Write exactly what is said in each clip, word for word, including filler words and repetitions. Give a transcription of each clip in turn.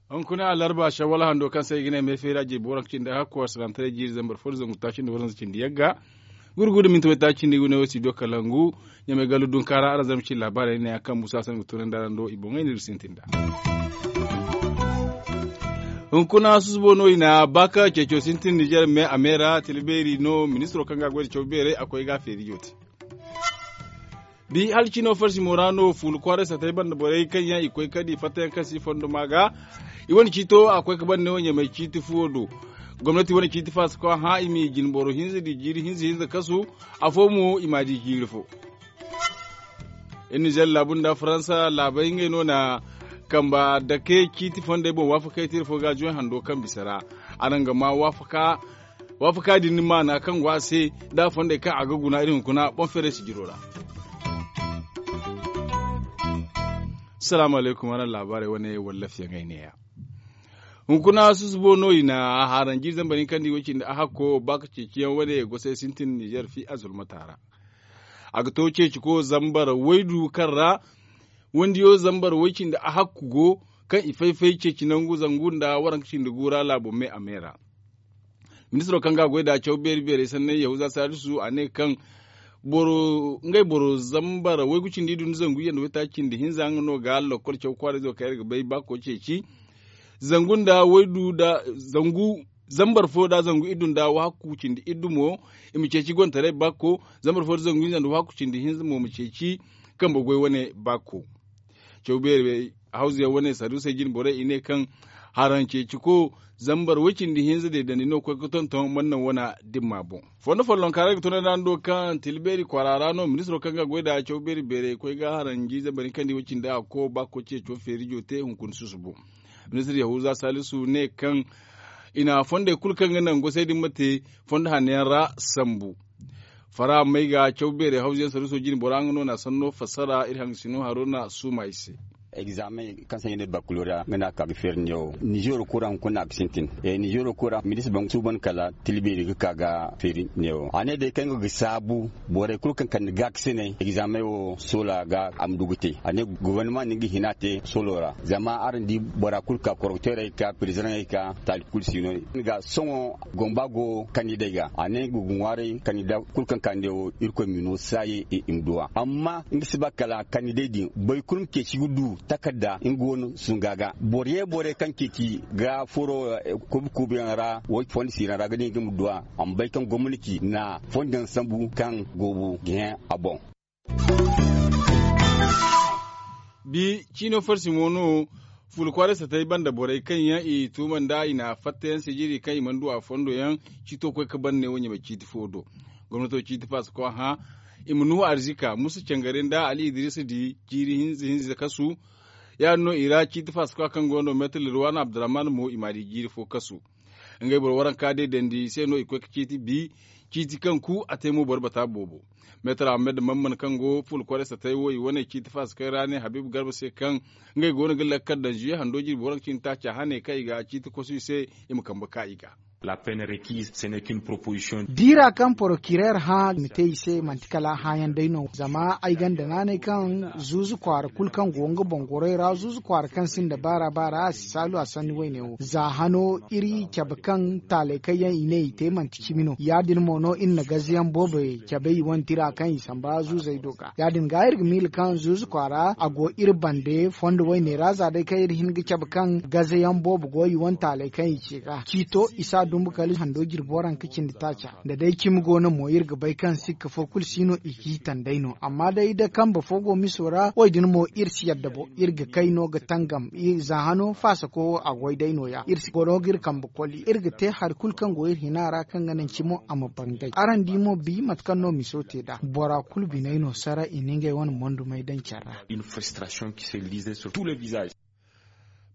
Hunkuna alarba shawwal hando kaŋ se i ga ne meefeera jirbi waranka cindi hakku asalaamtaray jiiri zambar fo da zangu taaci nda waranza cindi yagga. Gurgu da minti waytaaci nda i ga ne wo studio kalangu. Ɲamay gallu dunkaara araŋ zarma cindi laabaarey ne yaŋ kaŋ musa sanda ga tunandi araŋ do i boŋey no iri sintin nd'a. Hunkuna susubo no i na baaka ceeco sintin nizer me a me ra tila beeri no ministiro kaŋ ga a goy nda caw beerey a koy ga a feerijo te. Bi hala cino farsi mo ra no fuula kwaaray satay banda borey kaŋ yaŋ i koy kadi fattayaŋ kaŋ si fondo ma ga. I wane ciito a koy ga ban neewo ɲamay ciiti fuwo do. Gomnati wane ciiti faasa kaŋ hã i m'i jine boro hinza di jiiri hinza hinza kasu. Afo mo i m'a di jiiri fo. Iri nizer laabu nda faransa laabey ngey no na kamba dake ciiti fondey boŋ waafakey tiiri fo ga juway hando kaŋ bisa ra. Araŋ ga ma waafaka waafaka din maana kaŋ go a se, da fondey kaŋ a ga guna iri hunkuna boŋ feeray sijiro ra. Salaamu alaykum araŋ laabaarey wane wallafiyaŋey neeya. Hunkuna susubo no i na a haaranji zambar hinka nda i way cindi a hakko ba ka ceeciyaŋ wane gosay sintin nizer fi a zulmata ra. A ga to ceeciko zambar waydu kaŋ ra wandiyo zambar way cindi a hakku go kaŋ i fay-fay ceeci nangu zangu nda waranka cindi gu ra laabo me a me ra. Ministiro kaŋ ga a goy nd'a caw beeri beerey sanney yahuza saadisu a ne kaŋ boro ngey boro zambar waygu cindi iddu nda zangu iyye nda waytaaci cindi hinza nga no ga lakkol caw kwaarayzo kaŋ iri ga bay baako ceeci. Zangu nda waydu nda zangu zambar fo nda zangu iddu nda wahakku cindi iddu mo i ma ceeci gontaray bakko. Zambar fo nda zangu hinza nda wahakku cindi hinza mo ma ceeci kambe goy wane bakko. Caw beeri hawzuyaŋ wane saduusey jine borey i ne kaŋ haraŋ ceeciko zambar way cindi hinza deedandi no koy ga tonton mannaŋ wana dimma boŋ. Fondo follonka ra ga tunay ra ni do kaŋ tila beeri kwaara ra no ministiro kaŋ ga goy nd'a caw beeri beerey koy ga haraŋ jiize bari kaŋ di way cindi a ga ko ba ga koy ceeco feerijo te hunkuna susubo. Ministir yahuza salisu ne kaŋ i na fondey kulu kaŋ ga naŋ gosey din ma te fondo hanno yaŋ ra sambu. Fara may ga caw beerey hawzuyaŋ saruuso jine bora nga no na sanno fassara iri hangasino haruna suuma i se. Egzamen kaŋ se i ne bakuloriya nga no a ka ga feeri neewo nizeero kura hunkuna a ga sintin. Nizeero kura milis baŋ suuban kala tilbeeri ga ka ga feeri neewo a ne day kaŋ nga ga saabu borey kulu kaŋ kande gaakasiney egzamen wo soola ga a ma du ga te a ne gobornama na nga hina te soolo ra. Zama araŋ di bora kulu ka korokteerey ka pirizidaŋey ka taali kulu si no. Nga sohõ gomba go kandidey ga a ne nga ga ŋwaaray kandida kulu kaŋ kande wo irkoy ma no saaye i ma duw'a amma nga si ba kala kandidey din boro kulu ma ceeci ga du takarda nga go no sunga ga boro ye borey kaŋ ceeci ga furo kobi kobiyaŋ ra wo fondo siiraŋ ra ga ne nga ma duw'a a ma bay kaŋ gomnati na fondo yaŋ sambu kaŋ goobu ga hẽ a boŋ. Bi ciino farsi mo no fuula kwaaray satay banda borey kaŋ yaŋ i tuuma nda i na fattayaŋ sijiri kaŋ i mana du a fondo yaŋ ciito koy ga ban ne wo ɲamay ciiti fo do. Gomnato ciiti faasa koy hã i ma nuhu arzika musa cangare nda ali idirisa di jiiri hinza hinza kasu. Ya- din no i ra ciiti faasa koy kaŋ go no meetar lirwana abdurrahman mo i m'a di jiiri fo kasu. Ngey boro waranka day dandi i se no i koy ga ciiti bi ciiti kaŋ ku a te mo boro bata boobo. Meetar ahmed mamman kaŋ go fuula kwaray satay wo i wane ciiti faasa kaŋ ra ne habiibu garba se kaŋ ngey go no ga lakkal daŋ zuye hando jirbi waranka cindi taaca hane kaŋ i ga ciiti kosu i se i ma kambe ka i ga. Diira kaŋ porokireer hã i ma te i se manti kala hãyaŋ day no zama ay gonda naanay kaŋ zuuzu kwaara kulu kaŋ go nga boŋ goroy ra zuuzu kwaara kaŋ sinda baara baara a si saalu a sanni wayne wo za hano iri cabe kaŋ taalay kaŋ yaŋ i ne i te manti cimi no ya- din mo no iri na gaze yaŋ boobo cabe i wane tira kaŋ i samba zuuzey do ga ya- din ga iri ga miila kaŋ zuuzu kwaara a go iri bande fondo wayne ra za day kaŋ iri hin ga cabe kaŋ gaze yaŋ boobo go i wane taalay kaŋ i ce ga ciito i s'a dumbu kala hando jirbi waranka cindi taaca. Da day cimi go no mo iri ga bay kaŋ sikka fo kulu si no i g'i taŋ day no amma day da kambe fo go miso ra wo- din mo iri si yadda bo iri ga kay no ga tangam za hano faasako wo a goy day no- ya iri si goro ga iri kambe koli iri ga te hari kulu kaŋ go iri hina ra kaŋ ga naŋ cimo a ma bangay araŋ di mo bi mate kaŋ no miso te nd'a bora kulu biney no sara i na ngey wane mondumey daŋ care ra.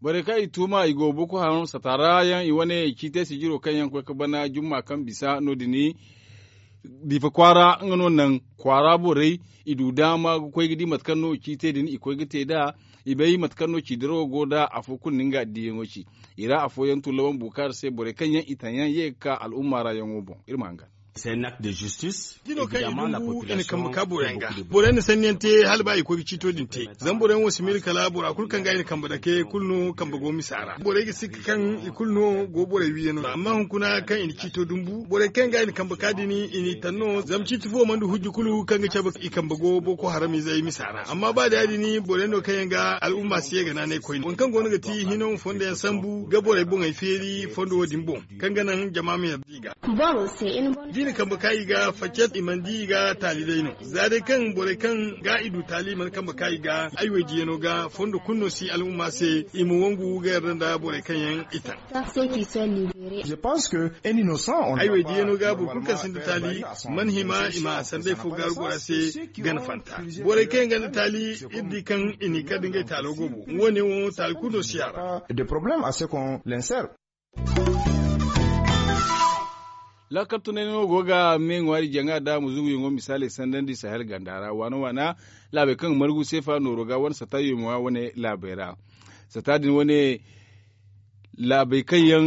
Borey kaŋ i tuuma i go boko haram sataara yaŋ i wane ciitey sijiro kaŋ yaŋ koy ga bana jumma kaŋ bisa no- din diifa kwaara nga no naŋ kwaara borey i du daama ga koy ga di mate kaŋ no ciitey din i koy ga te nd'a. I bay mate kaŋ no ci dirawo go nd'a afo kulu na nga diyaŋo ci. I ra afooyaŋ tun lawan bukaari se borey kaŋ yaŋ i taŋ yaŋ ye ga ka al'umma ra yaŋo boŋ iri ma hangan. Jino kaŋ yaŋ dumbu i na kambe ka boroyaŋ ga. Boroyaŋ na sanniyaŋ te hala ba i koy ga ciito din te. Zama boroyaŋ wo si miila kala bora kulu kaŋ ga i na kambe dake kulu no kambe go misa ra borey ga sikka kaŋ i kulu no go borey wiiyaŋo ra amma hunkuna kaŋ i na ciito dumbu borey kaŋ ga i na kambe ka din i n'i taŋ no zama ciiti fo mana du hujja kulu kaŋ ga cabe i kambe go boko haram izey misa ra amma ba da ya- din borey no kaŋ yaŋ ga al'umma si ye ga naanay koyne waŋ kaŋ go no ga ti hino ma fondo yaŋ sambu ga borey boŋey feeri fondo wo- din boŋ kaŋ ga naŋ jama ma yarda i ga. Da i na kambe ka i ga faccat i mana di i ga taali day no za day kaŋ borey kaŋ ga i du taali i mana kambe ka i ga ay waydiyaŋo ga fondo kulu no si al'umma se i ma wangu ga yarda nda borey kaŋ yaŋ i taŋ. Ay waydiyaŋo ga boro kulu kaŋ sinda taali mana hima i ma sanday fo gaaru bora se gana fanta borey kaŋ yaŋ ganda taali iri di kaŋ i n'i kar da ngey taalo go boŋ wo- ne wo taali kulu no si a ra. Laakal tunay no go ga me ŋwaari jaŋa da muzuguyaŋo misaaley sandandi sahel ganda ra waana waana laabey kaŋ ga margu seefa nooro ga wane sata yooma wane laabey ra. Sata din wane laabey kaŋ yaŋ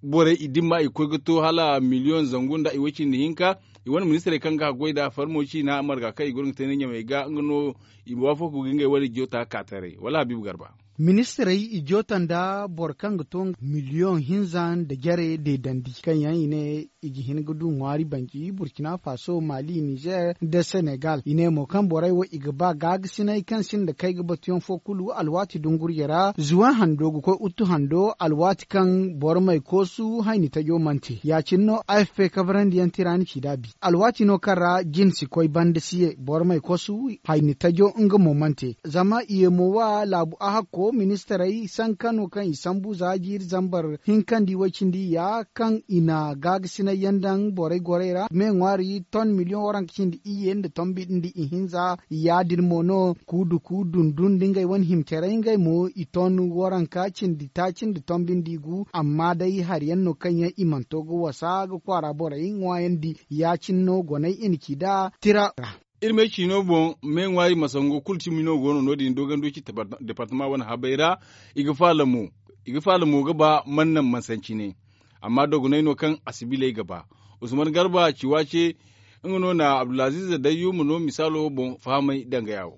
borey i dimma i koy ga to hala miliyoŋ zangu nda i way cindi hinka. I wane ministirey kaŋ ga haggoy nd'a farmo ciina marga kaŋ i go no ga te nda ɲamey ga nga no i ma waafako ga ngey wane joota ka taray wala habiibu garba. Ministirey i joota nda boro kaŋ ga to miliyoŋ hinza nda jare deedandi kaŋ yaŋ i ne i ga hin ga du ŋwaari banji burkina faso mali nizer nda senegal i ne mo kaŋ borey wo i ga ba gaagasinay kaŋ sinda kay ga batuyaŋ fo kulu alwaati dungurje ra zuwan hando ga koy uttu hando alwaati kaŋ boro may koosu hayni tajo mana te ya- cine no afp kabarandiyaŋ tira ni ci da bi alwaati no kaŋ ra jin si koy banda si ye boro may koosu hayni tajo nga mo mana te. Zama i ye mo wa laabu ahakko ministirey sankano kaŋ i sambu za jiiri zambar hinkandi way cindi ya kaŋ i na gaagasinay yaŋ daŋ borey gorey ra me ŋwaari ton miliyoŋ waranka cindi iyye nda tombi nda ihinza ya- din mo no kuuduku dundun nda ngey wane himcerey ngey mo i ton waranka cindi taaci nda tombi nda igu amma day hari yaŋ no kaŋ yaŋ i mana to ga wasa ga kwaara borey ŋwaayandi ya- cine no goney i na ci nd'a tira ra. Iri me ciino boŋ me ŋwaari masango kulu cimi no go no no- din dogonduci departama wane habey ra. I ga faala mo ga ba mana naŋ mansancine. Amma dogonay no kaŋ a si bilay ga ba usman garba ci waace nga no na abdulaziiz dayyuma no misaalo boŋ fahamay dangaya wo.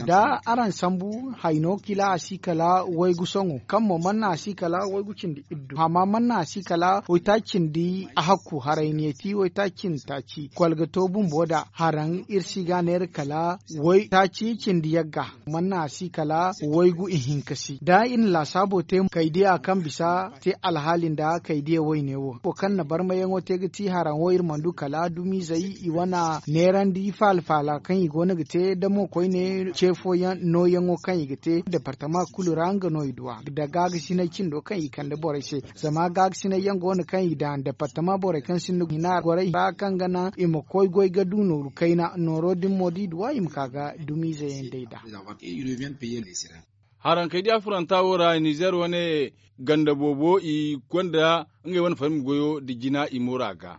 Da araŋ sambu hayno kila a si kala waygu soŋo kaŋ mo mana a si kala waygu cindi iddu hama mana a si kala waytaaci cindi a hakku haray ne ti waytaaci cindi taaci kwalga to bumbo da haraŋ iri si ga neera kala waytaaci cindi yagga mana a si kala waygu ihinka si da iri na laasaabo te kaydiya kaŋ bisa te alhaali nda kaydiya wayne wo wo kaŋ na barmayaŋo te ga ti haraŋo iri mana du kala dumizey i wane neerandi faala faala kaŋ i go no ga te da mo koyne ce fooyaŋ nooyaŋo kaŋ i ga te departama kulu ra nga no i du a da gaagasinay cindo kaŋ i kande borey se. Zama gaagasinay yaŋ go no kaŋ i daŋ departama borey kaŋ sinda hina gorey ra kaŋ ga naŋ i ma koy goy ga du nooru kayna nooro din mo da i du a i ma ka ga dumizey yaŋ day da. Haraŋ kay diya furanta wo ra nizer wane ganda boobo i gonda ngey wane farmi goyo nda jina i moora ga.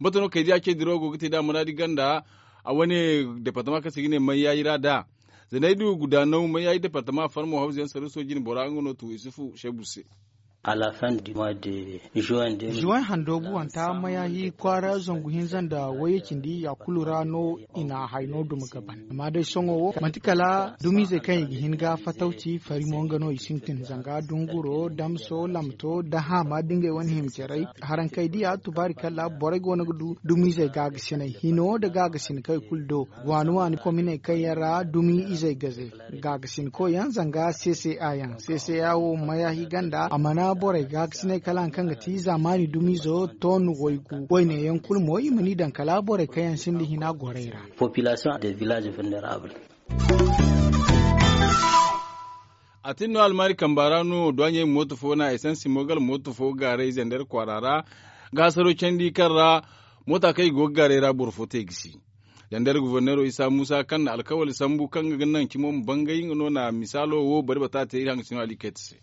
Mate no kay diya ce dirawo go ga te da muraadi ganda a wane departama kaŋ se ga ne mayyayi ra da. Zanay du gudaanaw mayyayi departama farmo hawza yaŋ saruso jine bora nga no tu isufu shebu se. Juwaŋ hando buwanta mayahi kwaara zangu hinza nda wayye cindi ya kulu ra no i na hayno duma ga ban amma day sohõ wo manti kala dumizey kaŋ i ga hin ga fatawci fari mo nga no i sintin zanga dunguro damso lamto da haama da ngey wane hima caray. Harankey diya tubaari kala borey go no ga du dumizey gaagasiney hino nda gaagasin kaŋ i kulu do waani waani kominey kaŋ yaŋ ra dumi izey gaze gaagasinko yaŋ zanga seeseya yaŋ seeseya wo mayahi ganda a mana borey gaagasiney kala hari kaŋ ga ti zaamaani dumizo ton waygu wayne yaŋ kulu mo i ma ni daŋ kala borey kaŋ yaŋ sinda hina gorey ra. A tin no almaari kamba ra no duwaɲey mooto fo na esansi mogal mooto fo gaaray zandar kwaara ra ga hasaro candi kaŋ ra moota kaŋ i go ga gaaray ra boro fo te gisi. Zandar guverneero isa muusa kaŋ na alkawali sambu kaŋ ga naŋ cimo ma bangay nga no na misaalo wo bari bata te iri haŋ ga sino ali kayta se.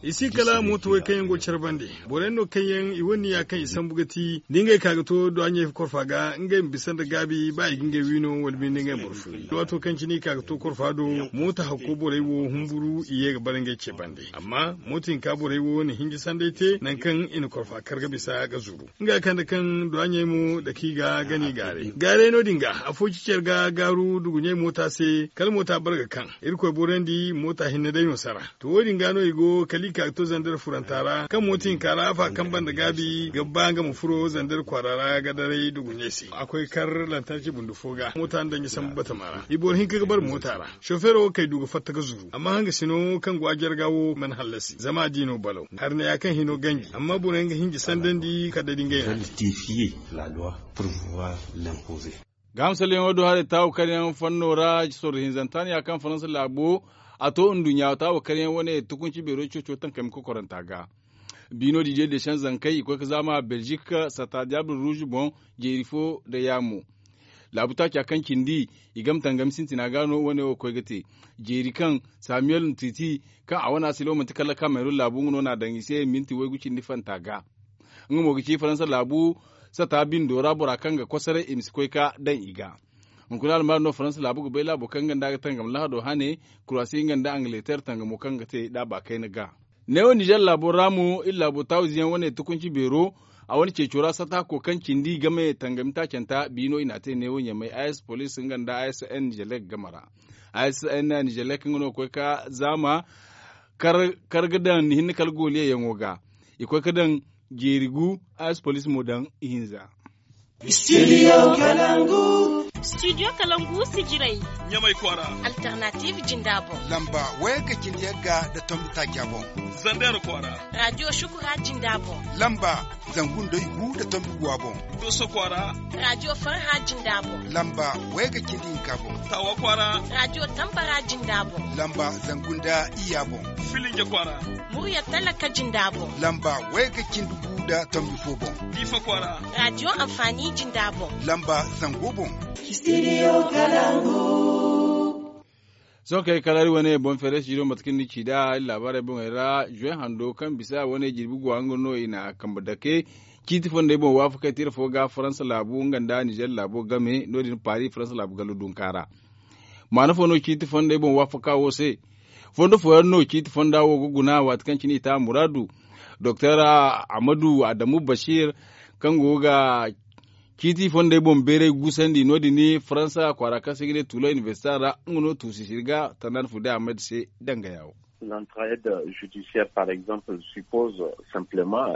I si kala mooto way kaŋ yaŋ go care bande. Borey no kaŋ yaŋ i wane niya kaŋ i sambu ga ti da ngey ka ga to duwaɲey korfa ga ngey ma bisa nda gaabi ba i ga ngey wiino wala binde ngey ma barfo. Waato kaŋ cine i ka ga to korfa do, mooto hakko borey wo humburu i ye ga bara ngey ce bande. Amma mooto hinka borey wo na hinji sanday te nangu kaŋ i na korfa kar ga bisa ga zuru. Nga kande kaŋ duwaɲey mo dake i ga gani gaaray gaaray no- din ga afo ci care ga gaaru duguɲey moota se kala moota bare ga kaŋ. Irkoy borandi moota hinne day no sara. To wo- din ga no i go kala i ka ga to zandar furanta ra kaŋ moota hinka ra afa kaŋ banda gaabi ga ba nga ma furo zandar kwaara ra ga daray duguɲey se a koy kar lantarci bundu fo ga moota nda danji sambu batama ra i boro hinka ga bare moota ra. Sofeero kay du ga fatta ga zuru amma hanga sino kaŋ go a jarga wo mana hallasi zama a di no balaw. Hari ne ya kaŋ hino ganji amma borey nga hinji sandandi kala da ngey na te. Gahamsalyaŋo do haray taawu kar yaŋ fanno ra sorro hinzanta no ya kaŋ faransa laabo a to nduɲɲa taawu kar yaŋ wane tukunci beero coco tankami kokoranta ga. Biino didiye desan zankey i koy ga zaama belzik sata diable rouge boŋ jeeri fo nda yaamo. Laabu taaca kaŋ cindi i game tangami sintina ga no wane wo koy ga te. Jeeri kaŋ samuel ntiti kaŋ a wane a silo manti kala kameerun laabu nga no n'a daŋ i se minti waygu cindi fanta ga. Nga mo ga ci faransa laabu sata bindo ra bora kaŋ ga kosoray i ma si koy ga daŋ i ga. Hunkuna almaari no faransa laabu ga bay laabo kaŋ nga nda a ga tangam lahado hane, kuraasi nga nda angleter tangamo kaŋ ga te d'a ba kayna ga. Neewo nizer laabo ra mo iri laabo taawuze yaŋ wane tukunci beero a wane ceeco ra sata ko kaŋ cindi game tangami taacanta biino i n'a te neewo ɲamay a s police nga nda a s n nizelek game ra. A s n nizelek nga no ga koy ga zaama kar ga daŋ ni hinne kala gooliyaŋo ga. I koy ga daŋ jeeri gu a s police mo daŋ ihinza. Studio kalangu. Studio kalangu sijiray. Ɲamay kwaara. Alternative jinda boŋ. Lamba wayga cindi yagga nda tombi taaca boŋ. Zandero kwaara. Radio shukura jinda boŋ. Lamba zangu nda igu nda tombi guwa boŋ. Doso kwaara. Radio farha jinda boŋ. Lamba wayga cindi hinka boŋ. Tawa kwaara. Radio tambara jinda boŋ. Lamba zangu nda iyya boŋ. Filinja kwaara. Murya talaka jinda boŋ. Lamba wayga cindi gu nda tombi fo boŋ. Diifa kwaara. Radio amfani jinda boŋ. Lamba zango boŋ. Studio kalangu. Sohõ kay kala iri wane boŋ feere studio mate kaŋ ni ci nd'a iri laabaarey boŋey ra zuwe hando kaŋ bisa wane jirbi guwa nga no i na kambe dake. Ciiti fondey boŋ waafakey tira fo ga faransa laabu nga nda nizer laabo game no- din paari faransa laabu gallo dunka ra. Maana fo no ciiti fondey boŋ waafaka wo se? Fondo fooyaŋ no ciiti fonda wo ga guna waati kaŋ cine i te a muraadu. Doktor amadu adamu bashir kaŋ go ga ciiti fondey boŋ beeray gusandi no- din faransa kwaara kaŋ se i ga ne tuulo inibersita ra nga no tuusi siri ga tanda no fude ahmed se dangaya wo.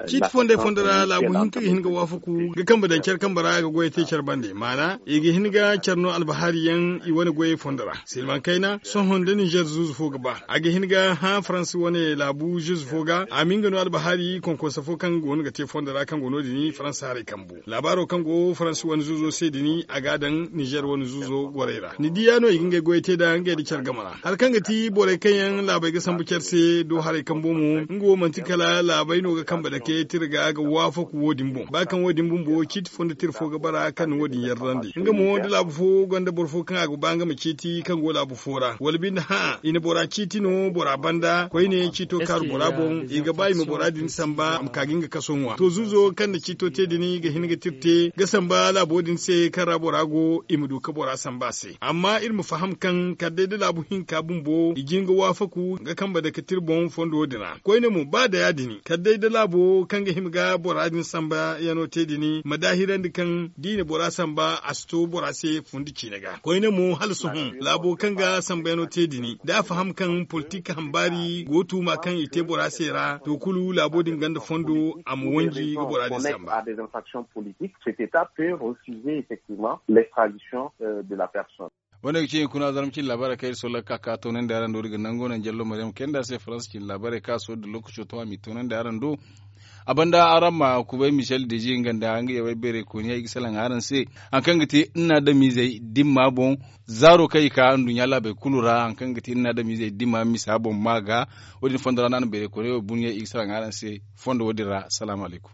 Ciiti fondey fondo ra laabu hinka ga hin ga waafaku ga kambe daŋ care kambe ra ga goyey te care bande maana i ga hin ga care no albahaari yaŋ i wane goyey fondo ra silmaŋ kayna sohõ nda nizer zuuzu fo ga ba a ga hin ga hã faransa wane laabu zuuzu fo ga a ma nga no albahaari konkonsa fo kaŋ go no ga te fondo ra kaŋ go no- din faransa haray kambu laabaaro kaŋ go faransa wane zuuzo se din a ga a daŋ nizer wane zuuzo gorey ra ni di ya no i ga ngey goyey te nd'a ngey nda care game ra. Hari kaŋ ga ti borey kaŋ yaŋ laabey ga sambu care se do haray kambo mo nga wo manti kala laabey no ga kambe dake tira ga ga waafaku wo- din boŋ ba kaŋ wo- din bumbo ciiti fondo tira fo ga bara kaŋ na wo- din yarrandi nga mo da laabu fo gonda boro fo kaŋ a ga ba nga ma ciiti kaŋ go laabu fo ra wala binde hã i na bora ciiti no bora banda koyne ciito kaaru bora boŋ i ga ba i ma bora din samba a ma ka ga nga kaso ŋwa to zuuzo kaŋ na ciito te din ga hin ga tira te ga samba laabo din se kaŋ ra bora go i ma du ga bora samba a se amma iri ma faham kaŋ kala day da laabu hinka bumbo i jin ga waafaku ga kambe dake tira boŋ fondo din ra koyne mo ba da ya- din kala day da laabo kaŋ ga hima ga bora din samba yaŋo te din ma daahirandi kaŋ da i na bora samba a si to bora se fundi ciine ga koyne mo hala sohõ laabo kaŋ ga samba yaŋo te din da a faham kaŋ politik hambaari go tuuma kaŋ i te bora se ra to kulu laabo din gonda fondo a ma wanji ga bora din samba. Politik cet état peut refuser effectivement l'extradition de la personne. Wane ga ci hunkuna zarma cine laabaarey kaŋ iri solla ga ka ga toonandi araŋ do iri ga nango naŋ jallo maryam kayna se faransa cine laabaarey kaŋ a sohõ da lookaco to a m'i toonandi araŋ do. A banda araŋ ma kubay michel deji nga nda nga yawey beeray kooniya i ga salaŋ araŋ se hari kaŋ ga ti nna adamizey dimma boŋ zaaro kaŋ i ka nduɲɲa laabey kulu ra hari kaŋ ga ti nna adamizey dimma misa boŋ ma ga. Wo- din fondo ra no a na beeray kooniya wo bunya i ga salaŋ araŋ se fondo wo- din ra salaamu alaykum.